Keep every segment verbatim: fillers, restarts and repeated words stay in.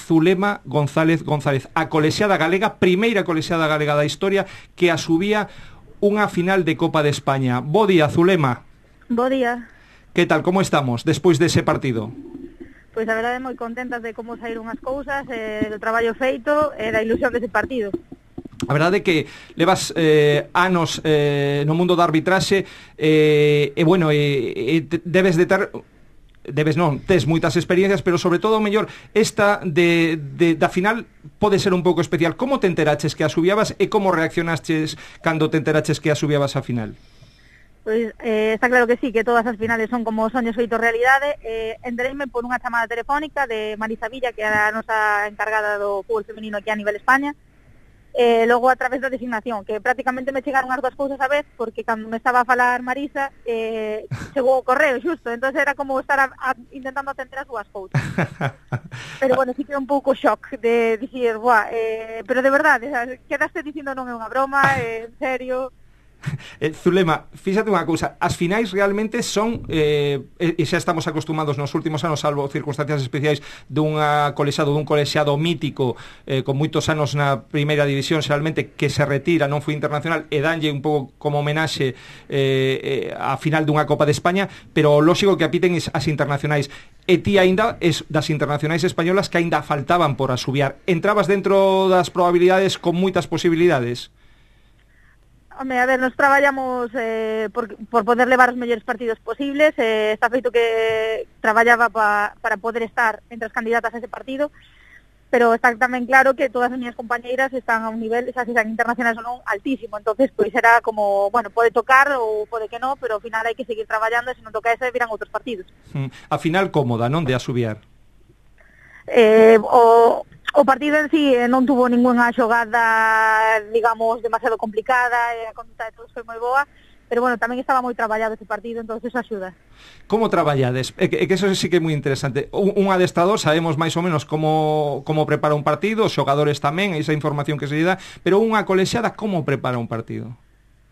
Zulema González González, a colexiada galega, primeira colexiada galega da historia que asubía unha final de Copa de España. Bo día, Zulema. Bo día. Que tal, como estamos despois dese partido? Pois a verdade moi contentas de como saíron as cousas, eh, do traballo feito e da ilusión dese partido. A verdade é que levas eh, anos eh, no mundo da arbitraxe eh, e, bueno, eh, eh, debes de ter... Debes non, tes moitas experiencias, pero sobre todo, mellor, esta de, de, da final pode ser un pouco especial. Como te enteraches que a subiabas e como reaccionaches cando te enteraches que a subiabas a final? Pois eh, está claro que sí, que todas as finales son como soños feitos realidade. Eh, entereime por unha chamada telefónica de Marisa Villa, que era a nosa encargada do fútbol femenino aquí a nivel España. Eh, logo a través da designación, que prácticamente me chegaron as dúas cousas a vez, porque cando me estaba a falar Marisa eh, chegou o correo xusto, entonces era como estar a, a, intentando atender as dúas cousas. Pero bueno, sí que é un pouco shock de dicir, buah, eh, pero de verdade, quedaste dicindo non é unha broma, eh, en serio. Eh, Zulema, fíxate unha cousa, as finais realmente son eh, e xa estamos acostumados nos últimos anos, salvo circunstancias especiais, dunha colexiado, dun colexiado mítico eh, con moitos anos na primeira división, realmente que se retira, non foi internacional e danlle un pouco como homenaxe eh, eh, a final dunha Copa de España, pero lógico que apiten as internacionais. E ti aínda es das internacionais españolas que aínda faltaban por asubiar. Entrabas dentro das probabilidades con moitas posibilidades? Home, a ver, nos traballamos eh, por, por poder levar os mellores partidos posibles. Eh, está feito que traballaba pa, para poder estar entre as candidatas a ese partido, pero está tamén claro que todas as miñas compañeiras están a un nivel, xa se sean internacionales ou non, altísimo. Entonces, pois era como, bueno, pode tocar ou pode que non, pero ao final hai que seguir traballando e se non toca ese, virán outros partidos. Mm, a final cómoda, non, de asubiar? Eh, o... O partido en sí eh, non tuvo ninguna xogada, digamos, demasiado complicada, e a conduta de todos foi moi boa, pero bueno, tamén estaba moi traballado ese partido, entonces eso axuda. Como traballades? É que, é que eso sí que é moi interesante. Un, un adestrador, sabemos máis ou menos como, como prepara un partido, os xogadores tamén, esa información que se lle dá, pero unha colexiada, como prepara un partido?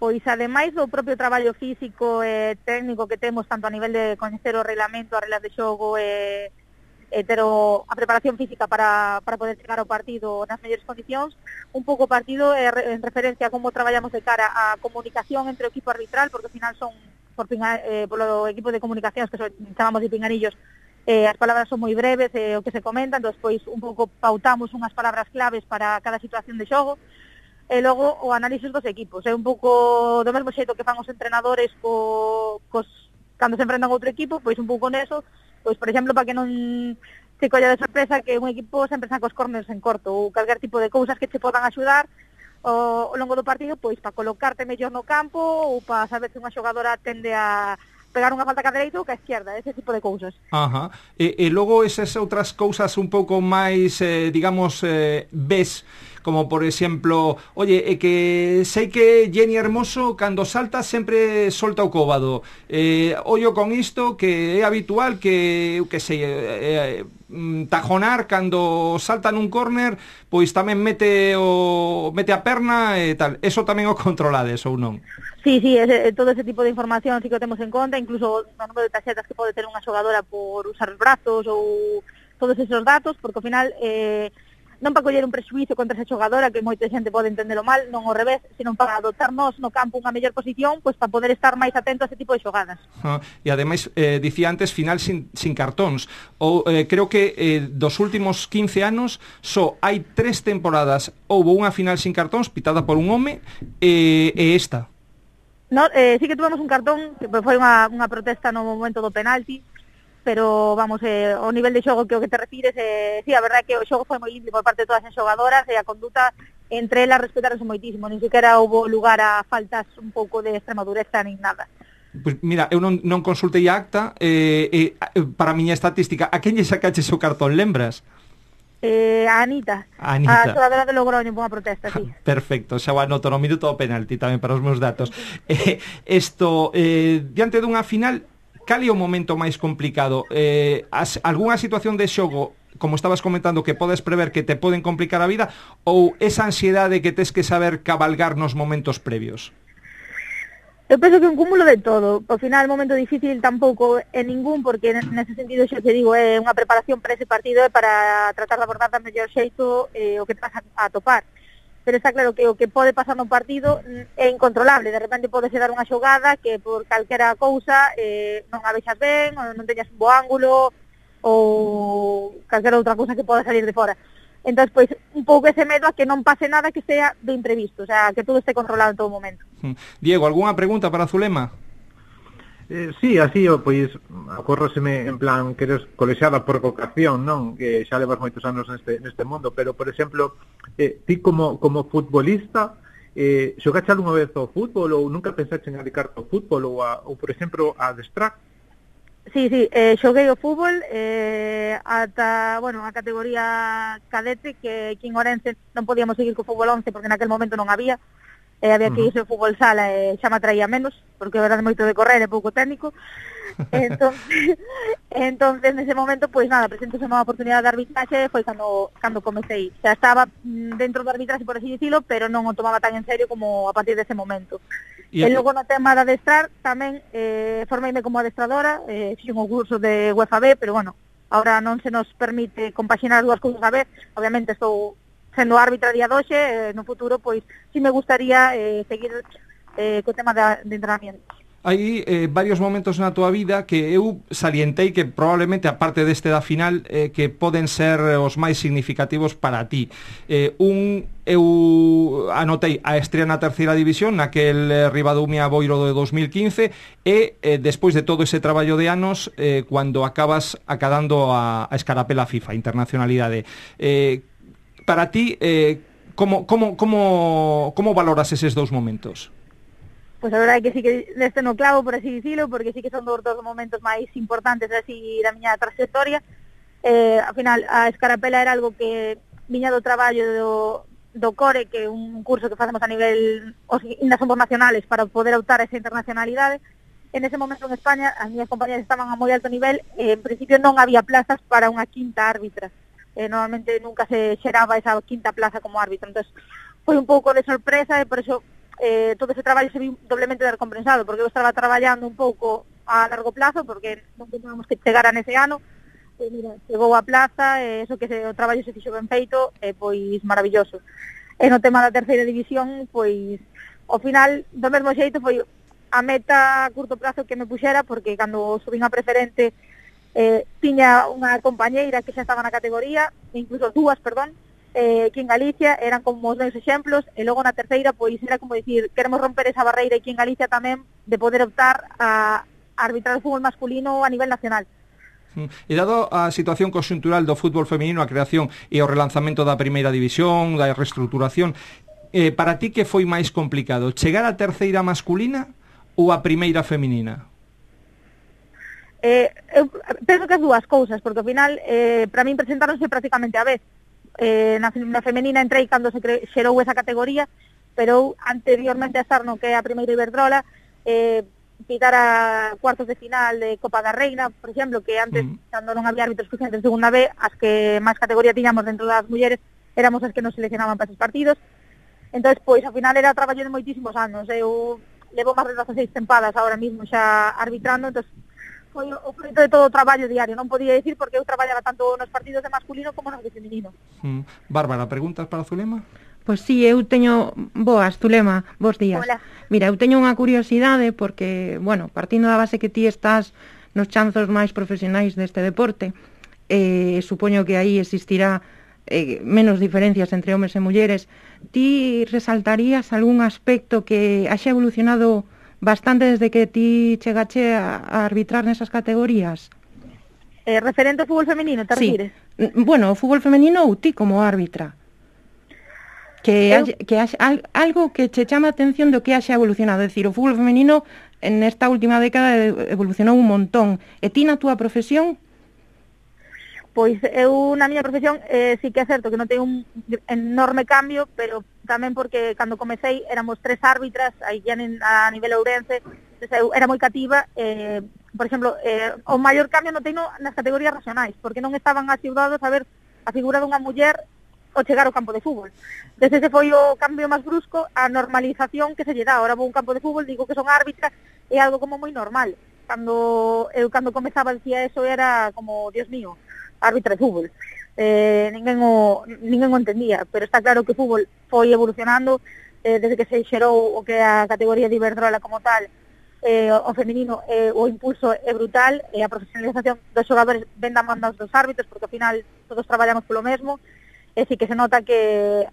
Pois, ademais do propio traballo físico e técnico que temos, tanto a nivel de coñecer o reglamento, as reglas de xogo e... Eh, pero a preparación física para, para poder chegar ao partido nas mellores condicións, un pouco o partido eh, en referencia a como traballamos de cara a comunicación entre o equipo arbitral, porque ao final son por, pinga, eh, polo equipo de comunicacións que so, chamamos de pinganillos, eh, as palabras son moi breves, eh, o que se comenta, entón pois un pouco pautamos unhas palabras claves para cada situación de xogo, e logo o análisis dos equipos, é un pouco do mesmo xeito que fan os entrenadores co, cos, cando se enfrentan a outro equipo, pois un pouco neso. Pois, por exemplo, para que non se colla de sorpresa que un equipo sempre saca os corners en corto ou calquer tipo de cousas que te podan axudar ao, ao longo do partido, pois para colocarte mellor no campo ou para saber se unha xogadora tende a pegar unha falta que a dereita ou que a esquerda, ese tipo de cousas. Ajá. E, e logo esas outras cousas un pouco máis, eh, digamos, eh, ves, como por exemplo, oye, é que sei que Jenny Hermoso cando salta sempre solta o cóbado, eh, ollo con isto que é habitual que, que sei, eh, eh, tajonar cando salta nun córner, pois tamén mete o mete a perna e tal, eso tamén o controlades ou non? Sí, sí, ese, todo ese tipo de información sí que o temos en conta, incluso o número de tarxetas que pode ter unha xogadora por usar os brazos ou todos esos datos, porque ao final eh, non para coller un prexuízo contra esa xogadora, que moita xente pode entendelo mal, non ao revés, sino para adoptarnos no campo unha mellor posición, pois para poder estar máis atento a ese tipo de xogadas. Ah, e ademais, eh, dicía antes, final sin, sin cartóns. Ou, eh, creo que eh, dos últimos quince anos só hai tres temporadas houbo unha final sin cartóns pitada por un home e, e esta. No, eh, sí que tuvemos un cartón, que foi unha, unha protesta no momento do penalti, pero vamos, eh, o nivel de xogo que o que te refires, eh, sí, a verdade é que o xogo foi moi limpio por parte de todas as xogadoras e a conduta entre elas respetaronse moitísimo, nin sequera houbo lugar a faltas un pouco de extrema dureza nin nada. Pois mira, eu non, non consultei a acta, eh, eh, para a miña estatística, a quen lle sacaches o cartón, lembras? Eh, a Anita, a Anita, a xogadora de Logroño por unha protesta, sí. Perfecto, xa o anoto no minuto do penalti tamén para os meus datos. eh, Esto, eh, diante dunha final, cal é o momento máis complicado? Eh, as, algunha situación de xogo, como estabas comentando, que podes prever que te poden complicar a vida, ou esa ansiedade que tes que saber cabalgar nos momentos previos? Eu penso que un cúmulo de todo. Ao final, momento difícil tampouco é ningún, porque nese sentido xa te digo, é unha preparación para ese partido e para tratar de abordar da mellor xeito eh, o que te vas a, a topar. Pero está claro que o que pode pasar no partido é incontrolable. De repente pode ser dar unha xogada que por calquera cousa eh, non a vexas ben, ou non teñas un bo ángulo, ou calquera outra cousa que poda salir de fora. Entón, pois, un pouco ese medo a que non pase nada que sea de imprevisto, o sea, que todo esté controlado en todo momento. Diego, algunha pregunta para Zulema? Eh, sí, así, pois, acórroseme en plan que eres colexiada por vocación, non? Que xa levas moitos anos neste, neste mundo, pero, por exemplo, eh, ti como, como futbolista, eh, xogaste algunha vez ao fútbol ou nunca pensaste en dedicarte ao fútbol ou, a, ou por exemplo, a adestrar? Sí, sí, eh, xoguei o fútbol eh, ata, bueno, a categoría cadete, que aquí en Orense non podíamos seguir co fútbol once porque naquel momento non había, eh, había que irse ao fútbol sala e eh, xa me atraía menos, porque era de moito de correr e pouco técnico. entonces, entonces nese momento, pois pues, nada, presentose unha oportunidade de arbitraxe, foi cando, cando comecei. Xa estaba dentro do arbitraxe, por así dicilo, pero non o tomaba tan en serio como a partir dese momento. E, e logo no tema de adestrar tamén eh, formeime como adestradora, eh, fixen un curso de U E F A B, pero bueno, ahora non se nos permite compaxinar dúas cousas a vez. Obviamente estou sendo árbitra día doxe, eh, no futuro pois si me gustaría eh, seguir eh, co tema de, de entrenamiento. Hai eh, varios momentos na tua vida que eu salientei que probablemente, aparte deste da final, eh, que poden ser os máis significativos para ti. Eh, un, eu anotei a estrea na terceira división, naquel eh, Ribadumia Boiro de dos mil quince, e eh, despois de todo ese traballo de anos, eh, cando acabas acadando a, a escarapela FIFA, internacionalidade. Eh, para ti, eh, como, como, como, como valoras eses dous momentos? Pois a verdade é que sí que neste no clavo, por así dicilo, porque sí que son dos dos momentos máis importantes así da miña trayectoria. Eh, ao final, a escarapela era algo que viña do traballo do, do CORE, que é un curso que facemos a nivel, os ainda somos nacionales, para poder optar a esa internacionalidade. En ese momento en España, as miñas compañeras estaban a moi alto nivel, e en principio non había plazas para unha quinta árbitra. Eh, normalmente nunca se xeraba esa quinta plaza como árbitra. Entón, foi un pouco de sorpresa, e por eso Eh, todo ese traballo se viu doblemente recompensado, porque eu estaba traballando un pouco a largo plazo, porque non teníamos que chegar a nese ano, e mira, chegou a plaza, e eso que se, o traballo se fixo ben feito, e pois maravilloso. E no tema da terceira división, pois ao final, do mesmo xeito, foi a meta a curto plazo que me puxera, porque cando subín a preferente eh, tiña unha compañeira que xa estaba na categoría, incluso dúas, perdón, Eh, aquí en Galicia, eran como os meus exemplos, e logo na terceira, pois era como dicir, queremos romper esa barreira aquí en Galicia tamén de poder optar a, a arbitrar o fútbol masculino a nivel nacional. E dado a situación conxuntural do fútbol feminino, a creación e o relanzamento da primeira división, da reestruturación, eh, para ti que foi máis complicado, chegar á terceira masculina ou a primeira feminina? Eh, eu penso que as dúas cousas, porque ao final eh, para min presentáronse prácticamente a vez. Eh, na, na femenina entrei cando se cre, xerou esa categoría, pero anteriormente a estar no que é a primeira Iberdrola, eh, pitar a cuartos de final de Copa da Reina, por exemplo, que antes, mm. cando non había árbitros suficientes de segunda B, as que máis categoría tiñamos dentro das mulleres éramos as que nos seleccionaban para esos partidos. Entón, pois, ao final era traballo de moitísimos anos. Eu levo máis de dezaseis tempadas ahora mismo xa arbitrando, entón foi o fruto de todo o traballo diario. Non podía dicir porque eu traballaba tanto nos partidos de masculino como nos de feminino. Mm. Bárbara, preguntas para Zulema? Pois sí, eu teño... Boas, Zulema, bos días. Hola. Mira, eu teño unha curiosidade porque, bueno, partindo da base que ti estás nos chanzos máis profesionais deste deporte, eh, supoño que aí existirá eh, menos diferencias entre homes e mulleres. Ti resaltarías algún aspecto que haxa evolucionado bastante desde que ti chegache a, a arbitrar nesas categorías? Eh, referente ao fútbol femenino, te sí. refires? Bueno, o fútbol femenino ou ti como árbitra? Que, Eu... haxe, que haxe, algo que che chama a atención do que haxa evolucionado. É dicir, o fútbol femenino en esta última década evolucionou un montón. E ti na túa profesión? Pois eu na miña profesión eh, sí que é certo que non ten un enorme cambio, pero tamén porque cando comecei éramos tres árbitras aí a nivel ourense, eu era moi cativa. Eh, por exemplo, eh, o maior cambio non teño nas categorías regionais, porque non estaban axudados a ver a figura dunha muller o chegar ao campo de fútbol. Desde ese foi o cambio máis brusco, a normalización que se lle dá. Ahora vou a un campo de fútbol, digo que son árbitra, é algo como moi normal. Cando eu cando comezaba dicía eso era como, Dios mío, árbitra de fútbol. Eh, ninguén, o, ninguén o entendía, pero está claro que o fútbol foi evolucionando eh, desde que se xerou o que é a categoría de Iberdrola como tal. Eh, o feminino, eh, o impulso é brutal, e a profesionalización dos xogadores ven da man dos árbitros, porque ao final todos traballamos polo mesmo, e sí que se nota que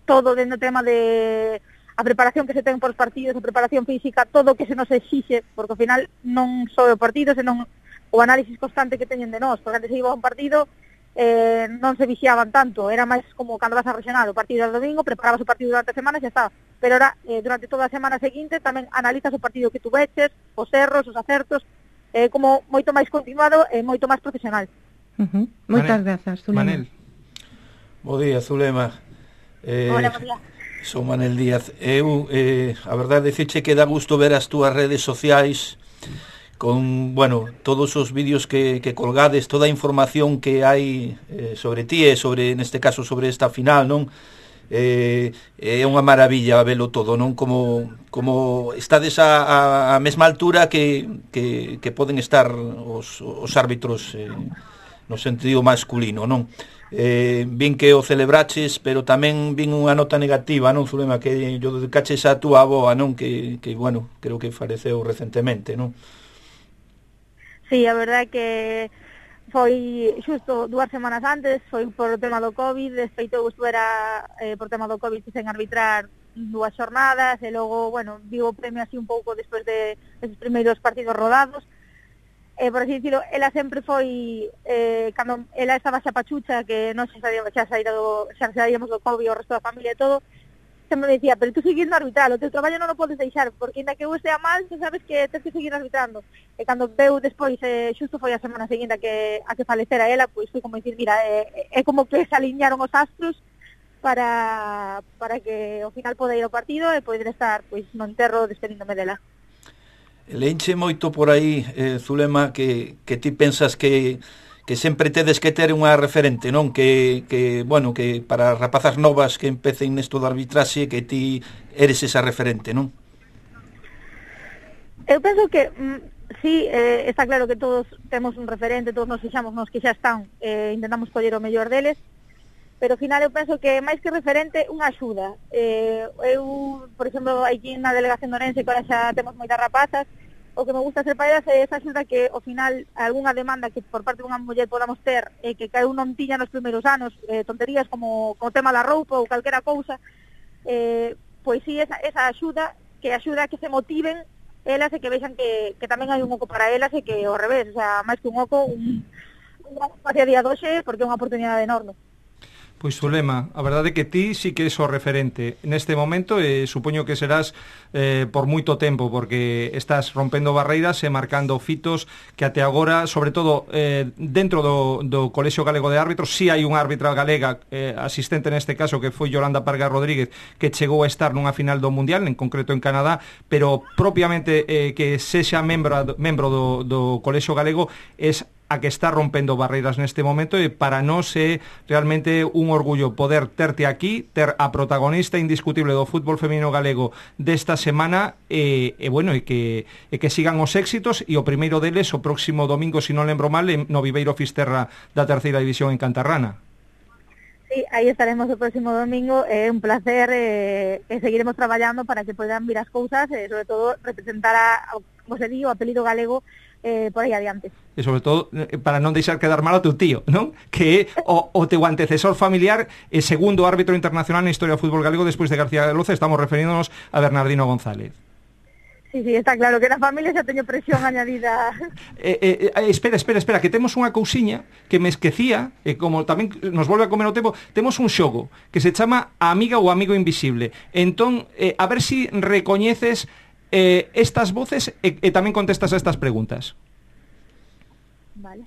todo dentro do tema de a preparación que se ten por os partidos, a preparación física, todo o que se nos exixe, porque ao final non só o partido, senón o análisis constante que teñen de nós, porque antes se iba a un partido, eh, non se vixiaban tanto, era máis como cando vas a regional, o partido do domingo, preparabas o partido durante a semana e xa está. Pero ahora, eh, durante toda a semana seguinte, tamén analizas o partido que tu veches, os erros, os acertos, eh, como moito máis continuado e moito máis profesional. Uh-huh. Moitas grazas, Zulema. Manel. Bo día, Zulema. Eh, Hola, bo día. Son Manel Díaz. Eu, eh, a verdade, dicirche que dá gusto ver as túas redes sociais con, bueno, todos os vídeos que, que colgades, toda a información que hai eh, sobre ti e sobre, neste caso, sobre esta final, non? Eh, é unha maravilla velo todo, non? Como, como estades a, a, a mesma altura que, que, que poden estar os, os árbitros eh, no sentido masculino, non? Eh, vin que o celebraches, pero tamén vin unha nota negativa, non, Zulema, que yo dedicaches a túa avoa, non? Que, que, bueno, creo que faleceu recentemente, non? Sí, a verdade é que foi xusto dúas semanas antes, foi por o tema do COVID, despeito eu estuvera eh, por tema do COVID sen arbitrar dúas xornadas, e logo, bueno, vivo o premio así un pouco despois de esos primeiros partidos rodados. Eh, por así dicilo, ela sempre foi, eh, cando ela estaba xa pachucha, que non xa sabíamos, xa, saído, xa saíamos do COVID, o resto da familia e todo, sempre me decía, pero tú seguindo arbitrar, o teu traballo non o podes deixar, porque ainda que eu estea mal, tú sabes que tens que seguir arbitrando. E cando veu despois, eh, xusto foi a semana seguinte a que, a que falecera ela, pois foi como dicir, mira, é, é como que se aliñaron os astros para, para que ao final poda ir ao partido e poder estar pois no enterro despedíndome dela. Leinche moito por aí, eh, Zulema, que, que ti pensas que que sempre tedes que ter unha referente, non? Que, que, bueno, que para rapazas novas que empecen nesto de arbitraxe, que ti eres esa referente, non? Eu penso que, mm, sí, eh, está claro que todos temos un referente, todos nos fixamos nos que xa están, eh, intentamos coller o mellor deles, pero ao final eu penso que máis que referente, unha axuda. Eh, eu, por exemplo, aquí na delegación de Orense, que ahora xa temos moitas rapazas, o que me gusta ser para elas é esa axuda que ao final algunha demanda que por parte dunha muller podamos ter e eh, que cada un non tiña nos primeiros anos, eh, tonterías como o tema da roupa ou calquera cousa, eh, pois sí, esa, esa axuda que axuda a que se motiven elas e que vexan que, que tamén hai un oco para elas e que ao revés, o sea, máis que un oco, un, un espacio a día doxe porque é unha oportunidade enorme. Pois, Zulema, a verdade é que ti sí que és o referente neste momento e supoño que serás eh, por moito tempo, porque estás rompendo barreiras e marcando fitos que até agora, sobre todo eh, dentro do, do Colexio Galego de Árbitros, si sí hai unha árbitra galega eh, asistente neste caso que foi Yolanda Parga Rodríguez, que chegou a estar nunha final do Mundial, en concreto en Canadá, pero propiamente eh, que sexa membro, membro do, do Colexio Galego es a que está rompendo barreiras neste momento e para nós é realmente un orgullo poder terte aquí, ter a protagonista indiscutible do fútbol feminino galego desta semana e, e bueno, e que, e que sigan os éxitos e o primeiro deles o próximo domingo, se non lembro mal, no Viveiro Fisterra da terceira división en Cantarrana. Sí, aí estaremos o próximo domingo, é un placer e, e seguiremos traballando para que podan vir as cousas e sobre todo representar a, como se di, o apelido galego eh, por aí adiante. E sobre todo para non deixar quedar mal ao teu tío, non? Que é o, o teu antecesor familiar e segundo árbitro internacional na historia do fútbol galego despois de García de Loza, estamos referíndonos a Bernardino González. Sí, sí, está claro que na familia xa teño presión añadida. Eh, eh, espera, espera, espera, que temos unha cousiña que me esquecía, e como tamén nos volve a comer o tempo, temos un xogo que se chama A Amiga ou Amigo Invisible. Entón, eh, a ver si recoñeces eh, estas voces e, e tamén contestas a estas preguntas. Vale.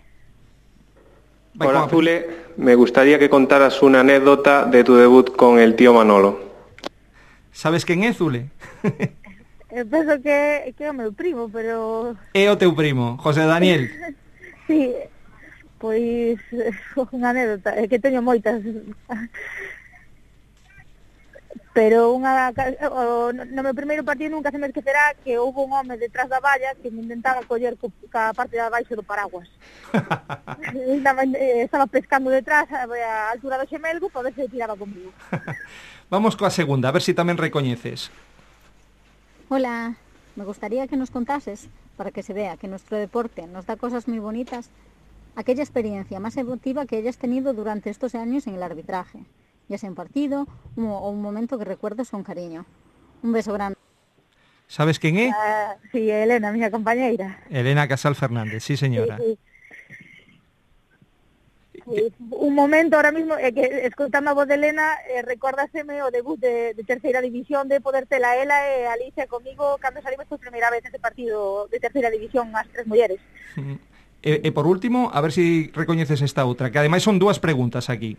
Vai, Hola, Zule, me gustaría que contaras una anécdota de tu debut con el tío Manolo. Sabes quen é, Zule? Eu penso que, que é o meu primo, pero... É o teu primo, José Daniel. Sí, Pois unha anécdota, é que teño moitas. Pero unha, o, no meu primeiro partido nunca se me esquecerá que houve un home detrás da valla que me intentaba coller co, ca parte de abaixo do paraguas. Estaba pescando detrás a altura do xemelgo para ver se tiraba comigo. Vamos coa segunda, a ver se si tamén recoñeces. Hola, me gustaría que nos contases, para que se vea que nuestro deporte nos da cosas muy bonitas, aquella experiencia más emotiva que hayas tenido durante estos años en el arbitraje, ya sea un partido o un momento que recuerdes con cariño. Un beso grande. ¿Sabes quen é? Uh, sí, Elena, miña compañeira. Elena Casal Fernández, sí señora. Sí, sí. Sí, un momento ahora mismo, é que escoitando a voz de Elena, eh, recórdaseme o debut de, de terceira división, de poder tela ela e Alicia comigo cando salimos por primeira vez neste partido de terceira división, as tres mulleres. Mm. E, e por último, a ver se si recoñeces esta outra, que ademais son dúas preguntas aquí.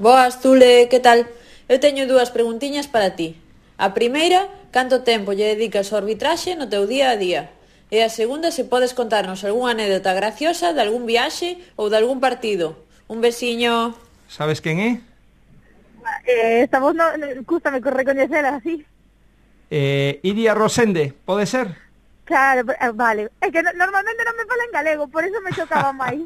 Boas, Zule, que tal? Eu teño dúas preguntiñas para ti. A primeira, canto tempo lle dedicas ao arbitraxe no teu día a día? E a segunda, se podes contarnos algunha anécdota graciosa de algún viaxe ou de algún partido. Un besiño. Sabes quen é? Eh, esta voz no, no, cústame recoñecela así. Eh, Iria Rosende, pode ser? Claro, vale. É que normalmente non me fala en galego, por eso me chocaba máis.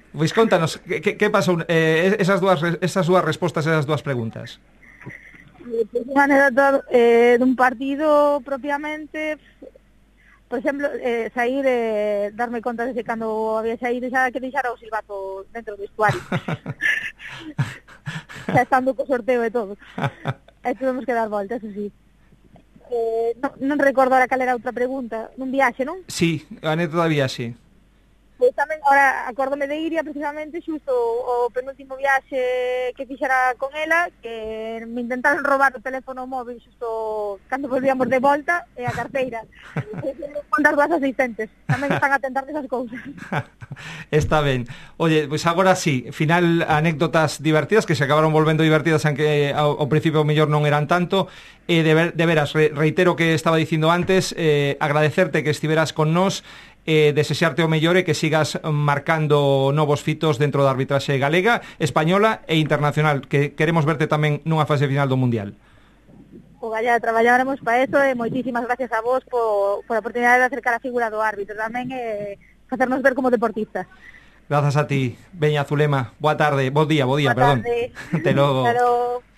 Pois contanos, que, que, que pasou eh, esas dúas esas dúas respostas, esas dúas preguntas? Pois unha anécdota eh, dun partido propiamente, por exemplo, eh, sair eh, darme conta de que cando había saído xa que deixara o silbato dentro do vestuario. Xa estando co sorteo e todo. E tuvemos que dar voltas, eso sí. Eh, non, non recordo ahora cal era outra pregunta. Nun viaxe, non? Sí, a anécdota de viaxe. Pois tamén, ahora, acórdome de Iria precisamente xusto o penúltimo viaxe que fixera con ela, que me intentaron robar o teléfono móvil xusto cando volvíamos de volta e a carteira. Con das dúas asistentes. Tamén están a tentar desas cousas. Está ben. Oye, pois pues agora sí, final anécdotas divertidas que se acabaron volvendo divertidas, aunque ao, ao principio mellor non eran tanto. Eh, de, ver, de veras, re, reitero que estaba dicindo antes, eh, agradecerte que estiveras con nós, eh, desexarte o mellor e que sigas marcando novos fitos dentro da arbitraxe galega, española e internacional, que queremos verte tamén nunha fase final do Mundial. O galla, traballaremos para eso e moitísimas gracias a vos por, por a oportunidade de acercar a figura do árbitro tamén e facernos ver como deportistas. Grazas a ti. Veña, Zulema, boa tarde, bo día, bo día, boa perdón. Tarde. Te logo. Hasta logo.